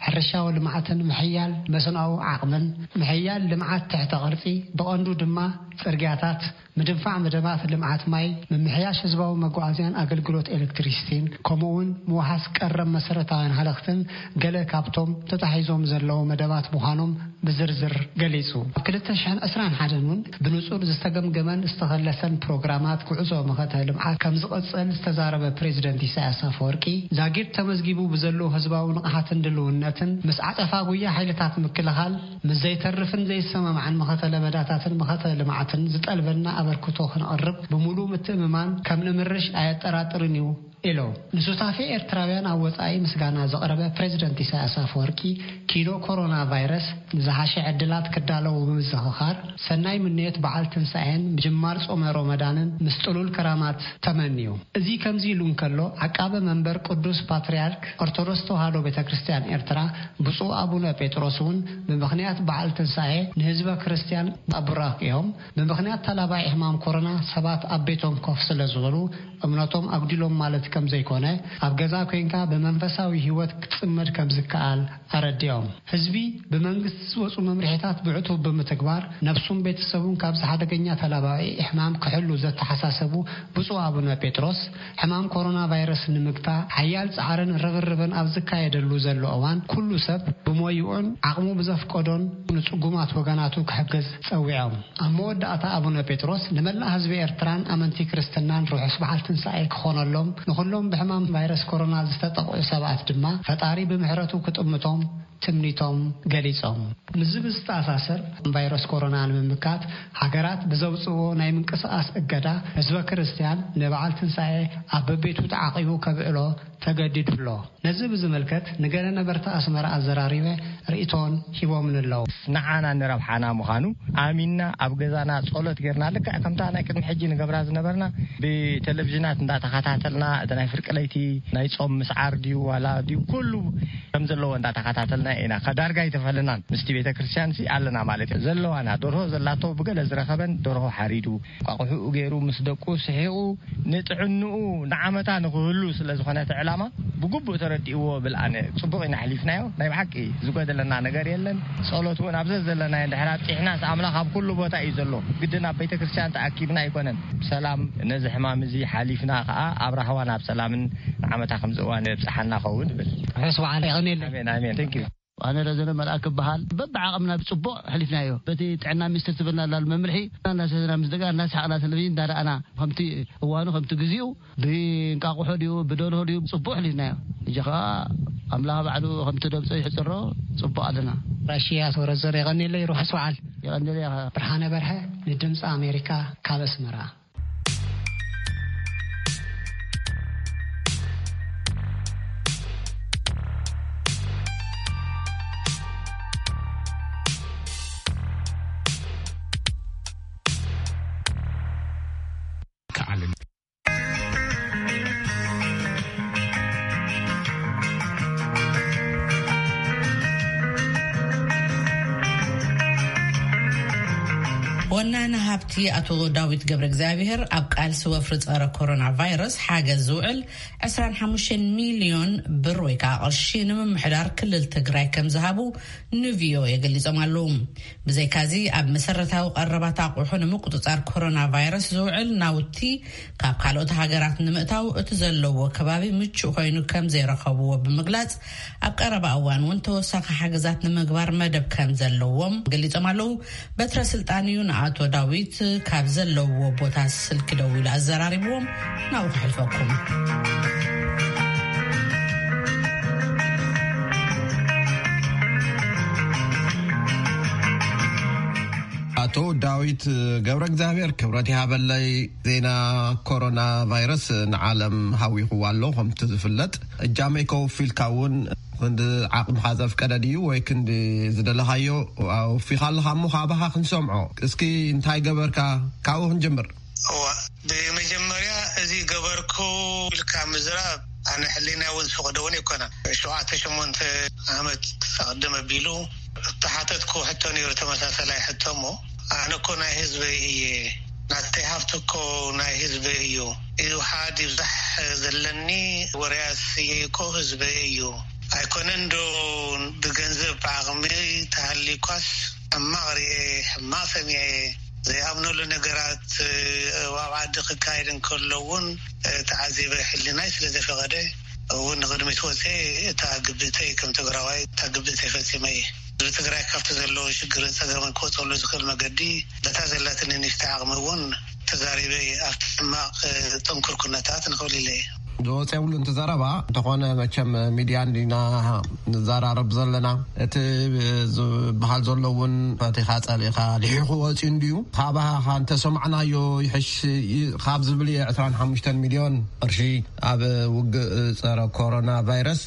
ሕርሻዊ ልምዓትን ምሕያል መስኖኣዊ ዓቕምን፣ ምሕያል ልምዓት ትሕተ ቅርጺ፣ ብቐንዱ ድማ ጽርግያታት፣ ምድንፋዕ መደባት ልምዓት ማይ፣ ምምሕያሽ ህዝባዊ መጓዓዝያን ኣገልግሎት ኤሌክትሪሲቲን፣ ከምኡ'ውን ምውሓስ ቀረብ መሰረታውያን ሃለኽትን ገለ ካብቶም ተታሒዞም ዘለዉ መደባት ምዃኖም ብዝርዝር ገሊጹ። ኣብ ክልተ ሽሕን ዕስራን ሓደን እውን ብንጹር ዝተገምገመን ዝተኸለሰን ፕሮግራማት ጉዕዞ መኸተ ልምዓት ከም ዝቐጽል ዝተዛረበ ፕሬዚደንት ኢሳያስ ኣፈወርቂ፣ ዛጊድ ተመዝጊቡ ብዘለዎ ህዝባዊ ንቕሓትን ድልውነትን ምስ ዓጸፋ ጉያ ሓይልታት ምክልኻል ምስ ዘይተርፍን ዘይሰማማዕን መኸተ ለበዳታትን መኸተ ልምዓትን ዝጠልበና ኣበርክቶ ክንቕርብ ብምሉእ ምትእምማን ከም ንምርሽ ኣየጠራጥርን እዩ ኢሉ። ንሱታፌ ኤርትራውያን ኣብ ወጻኢ ምስጋና ዘቕረበ ፕሬዚደንት ኢሳያስ ኣፈወርቂ፣ ኪኖ ኮሮና ቫይረስ ንዝሓሸ ዕድላት ክዳለዉ ብምዝኽኻር፣ ሰናይ ምንዮት በዓል ትንሳኤን ምጅማር ጾመ ሮመዳንን ምስ ጥሉል ከራማት ተመንዩ። እዚ ከምዚ ኢሉ እንከሎ፣ ዓቃቢ መንበር ቅዱስ ፓትርያርክ ኦርቶዶክስ ተዋህዶ ቤተ ክርስቲያን ኤርትራ ብፁዕ ኣቡነ ጴጥሮስ እውን ብምኽንያት በዓል ትንሳኤ ንህዝበ ክርስቲያን ኣብ ቡራኽኦም፣ ብምኽንያት ተላባዒ ሕማም ኮሮና ሰባት ኣብ ቤቶም ኮፍ ስለ ዝበሉ፣ እምነቶም ኣጉዲሎም ማለት ከም ዘይኮነ፣ ኣብ ገዛ ኮይንካ ብመንፈሳዊ ህይወት ክትጽመድ ከም ዝከኣል ኣረዲኦም። ህዝቢ ብመንግስቲ ዝወጹ መምርሒታት ብዕቱብ ብምትግባር፣ ነብሱን ቤተሰቡን ካብዚ ሓደገኛ ተላባዒ ሕማም ክሕሉ ዘተሓሳሰቡ ብፁዕ ኣቡነ ጴጥሮስ፣ ሕማም ኮሮና ቫይረስ ንምግታእ ሓያል ጻዕርን ርብርብን ኣብ ዝካየደሉ ዘሎ እዋን፣ ኩሉ ሰብ ብሞይኡን ዓቕሙ ብዘፍቀዶን ንጽጉማት ወገናቱ ክሕግዝ ጸዊዖም። ኣብ መወዳእታ ኣቡነ ጴጥሮስ ንመላእ ህዝቢ ኤርትራን ኣመንቲ ክርስትናን ርሑስ በዓል ትንሳኤ ክኾነሎም፣ ንኹሎም ብሕማም ቫይረስ ኮሮና ዝተጠቕዑ ሰባት ድማ ፈጣሪ ብምሕረቱ ክጥምቶም ትምኒቶም ገሊጾም። ምስዚ ብዝተኣሳሰር፣ ቫይረስ ኮሮና ንምምካት ሃገራት ብዘውጽእዎ ናይ ምንቅስቓስ እገዳ፣ ህዝበ ክርስቲያን ንበዓል ትንሳኤ ኣብ በቤቱ ተዓቒቡ ከብዕሎ ተገዲዱ ኣሎ። ነዚ ብዝምልከት ንገለ ነበርቲ ኣስመራ ኣዘራሪበ ርእይቶን ሂቦምኒ ኣለዉ። ንዓና ንረብሓና ምዃኑ ኣሚንና ኣብ ገዛና ጸሎት ጌርና፣ ልክዕ ከምታ ናይ ቅድሚ ሕጂ ንገብራ ዝነበርና፣ ብቴሌቪዥናት እንዳተኸታተልና፣ እቲ ናይ ፍርቂ ለይቲ ናይ ጾም ምስዓር ድዩ ዋላ ድዩ፣ ኩሉ ከም ዘለዎ እንዳተኸታተልና ኢና። ከ ዳርጋ ኣይተፈለናን። ምስቲ ቤተ ክርስቲያን ሲ ኣለና ማለት እዩ። ዘለዋና ደርሆ ዘላቶ ብገለ ዝረኸበን ደርሆ ሓሪዱ፣ ቋቑሑኡ ገይሩ ምስ ደቁ ስሒቑ ንጥዕንኡ ንዓመታ ንኽህሉ ስለ ዝኾነ እቲ ዕላማ ብግቡእ ተረዲእዎ ብል ኣነ። ጽቡቕ ኢና ኣሕሊፍናዮ። ናይ ብሓቂ ዝጎደለና ነገር የለን። ጸሎት እውን ኣብ ዘዘለናዮ እንድሕር ኣብጺሕናስ ኣምላኽ ኣብ ኩሉ ቦታ እዩ ዘሎ። ግድን ኣብ ቤተ ክርስቲያን ተኣኪብና ኣይኮነን። ብሰላም ነዚ ሕማም እዚ ሓሊፍና ከኣ ኣብ ራህዋ ናብ ሰላምን ንዓመታ ከምዚ እዋን የብጽሓና ኸውን እብል። ርሑስ በዓል። የቐንየለይ። ኣሜን፣ ኣሜን። Thank you። ኣነ ረዘነ መልኣክ እበሃል። በብዓቕምና ብጽቡቕ ኣሕሊፍናዮ። በቲ ጥዕና ሚኒስትር ትብልና ላሉ መምርሒ እናሰተና ምስ ደጋ እናሰሓቕና ቴሌቪዥን እንዳረኣና፣ ከምቲ እዋኑ ከምቲ ግዜኡ ብእንቃቑሖ ድዩ ብደርሆ ድዩ ጽቡቕ ኣሕሊፍናዮ። ሕጂ ኸኣ ኣምላኽ ባዕሉ ከምቲ ደምጾ ይሕጽሮ ጽቡቕ ኣለና። ራሽያ ተወረዘር የቐንየለይ። ርሑስ በዓል። የቐንየለይ። ብርሃነ በርሀ ንድምፂ ኣሜሪካ ካብ ኣስመራ። ወናኒ ሃብቲ ኣቶ ዳዊት ገብረ እግዚኣብሔር ኣብ ቃልሲ ወፍሪ ጸረ ኮሮና ቫይረስ ሓገዝ ዝውዕል ዕስራን ሓሙሽተን ሚልዮን ብር ወይ ከዓ ቅርሺ ንምምሕዳር ክልል ትግራይ ከም ዝሃቡ ንቪኦኤ ገሊጾም ኣለዉ። ብዘይካዚ ኣብ መሰረታዊ ቀረባት ኣቑሑ ንምቁጽጻር ኮሮና ቫይረስ ዝውዕል ናውቲ ካብ ካልኦት ሃገራት ንምእታው እቲ ዘለዎ ከባቢ ምቹእ ኮይኑ ከም ዘይረኸብዎ ብምግላጽ ኣብ ቀረባ እዋን እውን ተወሳኺ ሓገዛት ንምግባር መደብ ከም ዘለዎም ገሊጾም ኣለዉ። በትረ ስልጣን እዩ ንኣቶ ዳዊት ካብ ዘለዎ ቦታ ስልኪ ደዊሉ ኣዘራሪብዎም። ናብኡ ክሕልፈኩም። ኣቶ ዳዊት ገብረ እግዚኣብሔር ክብረት ይሃበለይ። ዜና ኮሮና ቫይረስ ንዓለም ሃዊኽዋ ኣሎ። ከምቲ ዝፍለጥ እጃመይ ከውፊልካ እውን ክንዲ ዓቕምኻ ዘፍቀደ ድዩ ወይ ክንዲ ዝደለኻዮ ኣውፊኻ ኣለኻ እሞ ካባኻ ክንሰምዖ። እስኪ እንታይ ገበርካ? ካብኡ ክንጅምር። እዋ፣ ብመጀመርያ እዚ ገበርኩ ኢልካ ምዝራብ ኣነ ሕሊና እውን ዝፈቕዶ እውን ኣይኮነን። ሸውዓተ ሸሞንተ ዓመት ኣቕድም ኣቢሉ እተሓተትኩ ሕቶ ነይሩ፣ ተመሳሳላይ ሕቶ እሞ ኣነ እኮ ናይ ህዝበይ እየ፣ ናተይ ሃብቲ እኮ ናይ ህዝበይ እዩ። ይውሓድ ይብዛሕ ዘለኒ ወርያስ እየ እኮ ህዝበይ እዩ። ኣይኮነን ዶ ብገንዘብ ብዓቕሚ ተሃሊኳስ ሕማቕ ርኤ፣ ሕማቕ ሰሚዐ፣ ዘይኣምነሉ ነገራት ኣብ ዓዲ ክካየድ እንከሎ እውን ተዓዚበ፣ ሕሊናይ ስለ ዘፈቐደ እውን ንቕድሚት ወፀ። እታ ግብእተይ ከም ትግራዋይ እታ ግብእተይ ፈፂመ እየ። ንትግራይ ካብቲ ዘለዎ ሽግርን ጸገምን ክወጸሉ ዝኽእል መገዲ፣ በታ ዘላትኒ ንእሽተይ ዓቕሚ እውን ተዛሪበ እየ። ኣብቲ ሕማቕ ጥንኩር ኩነታት ንኽብል ኢለ እየ። ዝወፀ የብሉን እቲ ዘረባ። እንተኾነ መቸም ሚድያ እንዲና ንዘራረብ ዘለና፣ እቲ ዝበሃል ዘሎ እውን ፈቲኻ ጸሊእኻ ልሒኹ ወፂኡ እንድዩ። ካባኻ እንተሰማዕናዮ ይሕሽ ካብ ዝብል እየ። ዕስራን ሓሙሽተን ሚልዮን ቅርሺ ኣብ ውግእ ጸረ ኮሮና ቫይረስ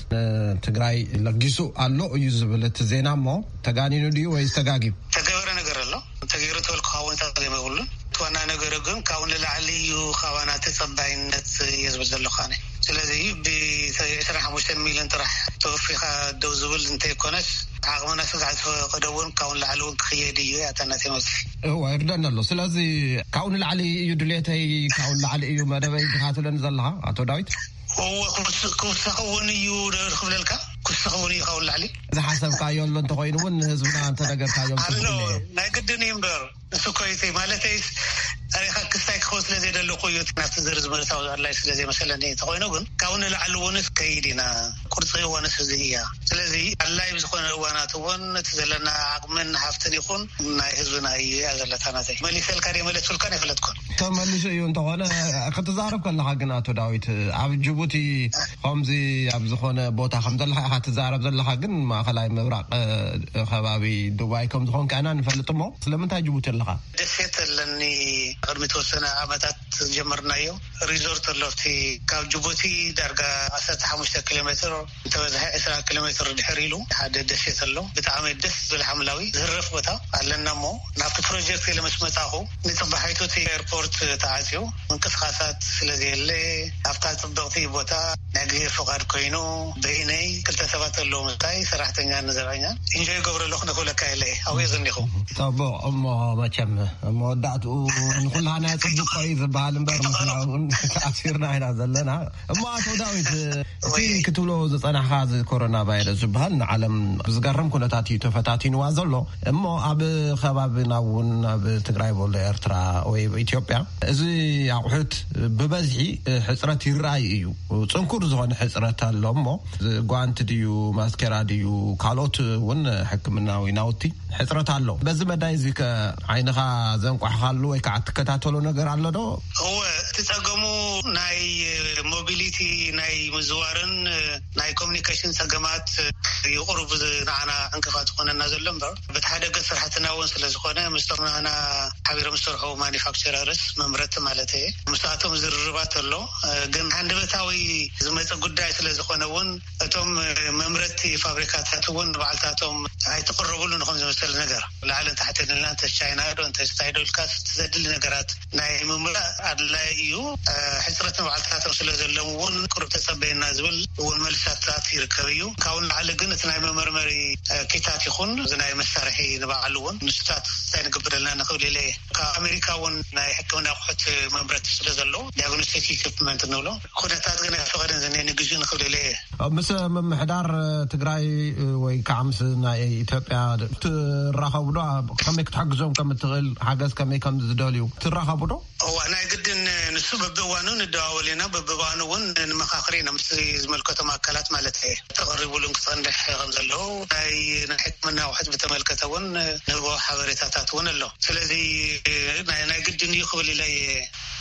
ንትግራይ ለጊሱ ኣሎ እዩ ዝብል እቲ ዜና። እሞ ተጋኒኑ ድዩ ወይስ ተጋጊዩ? ተገበረ ነገር ኣሎ። ተገይሩ ተበልኩ ክኸውን ጸገም የብሉን። እቲ ዋና ነገሩ ግን ካብኡ ንላዕሊ እዩ፣ ካባና ተጸባይነት እየ ዝብል ዘለኹ ኣነ። ስለዚ ብ ዕስራን ሓሙሽተን ሚልዮን ጥራሕ ተወፊኻ ደው ዝብል እንተይኮነስ፣ ዓቕምና ስጋዕ ዝፈቀደ እውን ካብኡ ንላዕሊ እውን ክኽየድ እዩ እያ እታ ናተይ መብጽሒ። እወ፣ ይርደኒ ኣሎ። ስለዚ ካብኡ ንላዕሊ እዩ ድሌተይ፣ ካብኡ ንላዕሊ እዩ መደበይ ዲኻ ትብለኒ ዘለኻ ኣቶ ዳዊት? እወ፣ ክውስ-፣ ክውሰኽ እውን እዩ ዶ ክብለልካ? ክውሰኽ እውን እዩ ካብኡ ንላዕሊ። ዝሓሰብካዮ ኣሎ እንተኾይኑ እውን ንህዝብና እንተነገርካዮም ጽቡቕ ኣሎ። እዩ። ናይ ግድን እዩ እምበር፣ ንሱ እኮ እዩ ማለተይስ፣ ታሪኻ ክስታይ ክኸውን ስለ ዘይደለኹ እዩ፣ ናብቲ ዝርዝር ምእታው ኣድላይ ስለ ዘይመሰለኒ። እንተኾይኑ ግን፣ ካብኡ ንላዕሊ እውን ከይድ ኢና። ቁርፂ እዋንስ እዚ እያ። ስለዚ ኣድላይ ብዝኾነ እዋናት እውን እቲ ዘለና ዓቕምን ሃፍትን ይኹን ናይ ህዝብና እዩ እያ ዘለታ ናተይ። መሊሰልካ ድየ መለስኩልካን ኣይፈለጥኩን። ተመሊሱ እዩ። እንተኾነ ክትዛረብ ከለኻ ግን ኣቶ ዳዊት፣ ኣብ ጅቡቲ ከምዚ ኣብ ዝኾነ ቦታ ከም ዘለኻ ኢኻ ትዛረብ ዘለኻ፣ ግን ማእኸላይ ምብራቕ፣ እ፣ ከባቢ ዱባይ ከም ዝኾንካ ኢና ንፈልጥ። እሞ ስለምንታይ ጅቡቲ ኣለኻ? ደሴት ኣለኒ። ቅድሚ ተወሰነ ዓመታት ጀመርናዮ። ሪዞርት ኣሎ ኣብቲ ካብ ጅቡቲ ዳርጋ ዓሰርተ ሓሙሽተ ኪሎ ሜትር፣ እንተበዝሐ ዕስራ ኪሎ ሜትር ድሕር ኢሉ ሓደ ደሴት ኣሎ። ብጣዕሚ ደስ ዝብል ሓምላዊ ዝህረፍ ቦታ ኣለና። እሞ ናብቲ ፕሮጀክት ኢለ ምስ መጻኹ፣ ንጽባሒቱ እቲ ኤርፖርት ተዓጽዩ፣ ምንቅስቓሳት ስለ ዘየለ፣ ኣብታ ጽብቕቲ ቦታ ናይ እግዚኣብሔር ፍቓድ ኮይኑ፣ በይነይ ክልተ ሰባት ኣለዉ፣ ምሳይ ሰራሕተኛ ንዘብዐኛ ኢንጆይ ይገብሮ ኣለኹ። ንክብለካ የለ ኣብኡ ዝኒኹ። ጽቡቕ። እሞ መቸም መወዳእትኡ ንኹላና ጽቡቕ እዩ ዝበሃል እምበር፣ ንሕና እውን ተኣሲርና ኢና ዘለና። እሞ ኣቶ ዳዊት፣ እቲ ክትብሎ ዝጸናሕካ፣ እዚ ኮሮና ቫይረስ ዝበሃል ንዓለም ብዝገርም ኩነታት እዩ ተፈታቲንዋ ዘሎ። እሞ ኣብ ከባቢና እውን፣ ኣብ ትግራይ በሎ፣ ኤርትራ ወይ ኢትዮጵያ፣ እዚ ኣቑሑት ብበዝሒ ሕጽረት ይረኣይ እዩ። ጽንኩር ዝኾነ ሕጽረት ኣሎ። እሞ ጓንቲ ድዩ፣ ማስኬራ ድዩ፣ ካልኦት እውን ሕክምናዊ ናውቲ ሕጽረት ኣሎ። በዚ መዳይ እዚ ከ ዓይንኻ ዘንቋሕካሉ ወይ ከዓ ትከታተሎ ነገር ኣሎ ዶ? እወ፣ እቲ ጸገሙ ናይ ሞቢሊቲ፣ ናይ ምዝዋርን ናይ ኮሚኒኬሽን ጸገማት እዩ ቁሩብ ንዓና ዕንቅፋት ዝኾነና ዘሎ እምበር፣ በቲ ሓደ ገጽ ስራሕትና እውን ስለ ዝኾነ፣ ምስቶም ንዓና ሓቢሮም ዝሰርሑ ማኒፋክቸረርስ፣ መምረቲ ማለት እየ፣ ምስኣቶም ዝርርባት ኣሎ። ግን ሃንደበታዊ ዝመጸ ጉዳይ ስለ ዝኾነ እውን፣ እቶም መምረቲ ፋብሪካታት እውን ንባዕልታቶም ኣይተቐረቡሉን፣ ንኹም ዝመሰለ ነገር ላዕልን ታሕትን ኢልና፣ እንተ ቻይና ዶ እንተ እንታይ ዶ ኢልካ፣ እቲ ዘድሊ ነገራት ናይ ምምላእ ኣድላይ እዩ። ሕጽረት ንባዕልታቶም ስለ ዘለዎም እውን፣ ቁሩብ ተጸበየና ዝብል እውን መልስታት ይርከብ እዩ። ካብኡ ንላዕሊ ግን፣ እቲ ናይ መመርመሪ ኪታት ይኹን፣ እዚ ናይ መሳርሒ ንባዕሉ እውን፣ ንሱታት እንታይ ንገብር ኣለና ንኽብል ኢለ እየ። ካብ ኣሜሪካ እውን ናይ ሕክምና ኣቑሑት መምረቲ ስለ ዘለዉ፣ ዲያግኖስቲክ ኢኩፕመንት ንብሎ፣ ኩነታት ግን ኣይፈቐደን ዝኒሀ ንግዜኡ ንኽብል ኢለ እየ። ምስ ምምሕዳር ትግራይ ወይ ከዓ ምስ ናይ ኢትዮጵያ ትራኸቡ ዶ? ከመይ ክትሕግዞም ከም እትኽእል፣ ሓገዝ ከመይ ከም ዝደልዩ ትራኸቡ ዶ? እዋ፣ ናይ ግድን፣ ንሱ በብእዋኑ ንደዋወል ኢና፣ በብእዋኑ እውን ንመኻኽር ኢና፣ ምስ ዝመልከቶም ኣካላት ማለት እየ። ተቐሪቡሉን ክጸንሕ ከም ዘለዎ፣ ናይ፣ ናይ ሕክምና ኣቑሑት ብተመልከተ እውን ንህቦ ሓበሬታታት እውን ኣሎ። ስለዚ ናይ፣ ናይ ግድን እዩ ክብል ኢለ እየ።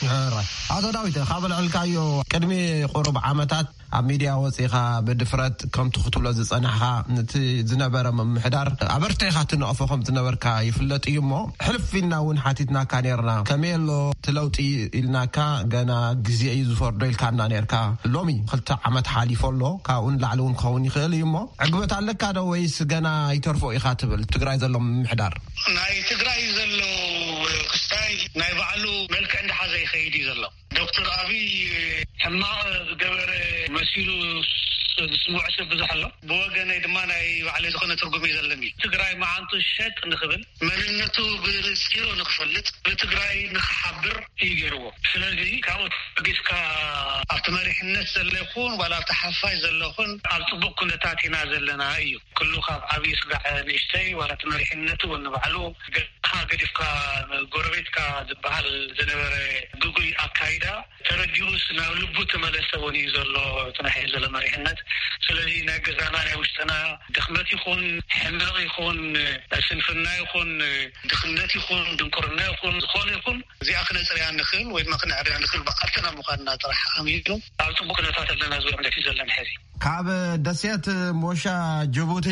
ሕራይ። ኣቶ ዳዊት፣ ካብ ኣልዕልካዮ ቅድሚ ቁሩብ ዓመታት ኣብ ሚድያ ወፂኻ ብድፍረት ከምቲ ክትብሎ ዝፀናሕካ፣ ነቲ ዝነበረ ምምሕዳር ኣበርቲዕካ ትነቕፎ ከም ዝነበርካ ይፍለጥ እዩ። እሞ ሕልፍ ኢልና እውን ሓቲትናካ ነርና፣ ከመይ ኣሎ እቲ ለውጢ ኢልናካ፣ ገና ግዜ እዩ ዝፈርዶ ኢልካና ነርካ። ሎሚ ክልተ ዓመት ሓሊፎ ኣሎ፣ ካብኡ ንላዕሊ እውን ክኸውን ይኽእል እዩ። እሞ ዕግበት ኣለካ ዶ ወይስ ገና ይተርፎ ኢኻ ትብል ትግራይ ዘሎ ምምሕዳር? ናይ ትግራይ ዘሎ ክስታይ ናይ ባዕሉ መልክዕ እንዳሓዘ ይኸይድ እዩ ዘሎ። ዶክተር ኣብይ ሕማቕ ዝገበረ መሲሉ ዝስምዖ ሰብ ብዙሕ ኣሎ። ብወገነይ ድማ ናይ ባዕለይ ዝኾነ ትርጉም እዩ ዘለኒ። ትግራይ መዓንጡ ሸጥ ንኽብል፣ መንነቱ ብንፂሮ ንኽፈልጥ፣ ብትግራይ ንኽሓብር እዩ ገይርዎ። ስለዚ ካብኡ ተበጊስካ ኣብቲ መሪሕነት ዘሎ ይኹን ዋላ ኣብቲ ሓፋሽ ዘሎ ይኹን ኣብ ፅቡቕ ኩነታት ኢና ዘለና እዩ። ኩሉ ካብ ዓብዪ ስጋዕ ንእሽተይ ዋላ እቲ መሪሕነቱ እውን ንባዕሉ ገ-፣ ገዲፍካ ጎረቤትካ ዝበሃል ዝነበረ ግጉይ ኣካይዳ ተረዲኡስ ናብ ልቡ ተመለሰ እውን እዩ ዘሎ እቲ ናይ ሕዚ ዘሎ መሪሕነት። ስለዚ ናይ ገዛና ናይ ውሽጥና ድኽመት ይኹን ሕመቕ ይኹን ስንፍና ይኹን ድኽነት ይኹን ድንቁርና ይኹን ዝኾነ ይኹን እዚኣ ክነፅርያ ንኽእል ወይ ድማ ክነዕርያ ንኽእል ብኣተና ምዃንና ጥራሕ ኣሚኑ ኣብ ፅቡቅ ኩነታት ኣለና ዝብል እምነት እዩ ዘለና ሕዚ። ካብ ደሴት ሞሻ ጅቡቲ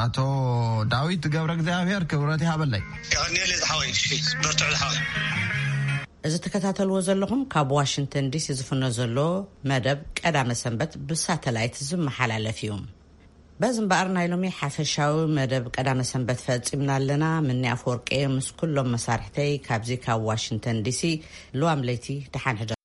ኣቶ ዳዊት ገብረ እግዚኣብሔር ክብረት ይሃበለይ። የቐንየለይ ዝሓወይ። እሺ፣ በርትዑ ዝሓወይ። እዚ ትከታተልዎ ዘለኹም ካብ ዋሽንግተን ዲሲ ዝፍኖ ዘሎ መደብ ቀዳመ ሰንበት ብሳተላይት ዝመሓላለፍ እዩ። በዚ እምበኣር ናይ ሎሚ ሓፈሻዊ መደብ ቀዳመ ሰንበት ፈጺምና ኣለና። ምኒ ኣፈወርቂ ምስ ኩሎም መሳርሕተይ ካብዚ ካብ ዋሽንግተን ዲሲ ልዋም ለይቲ ደሓን ሕደሩ።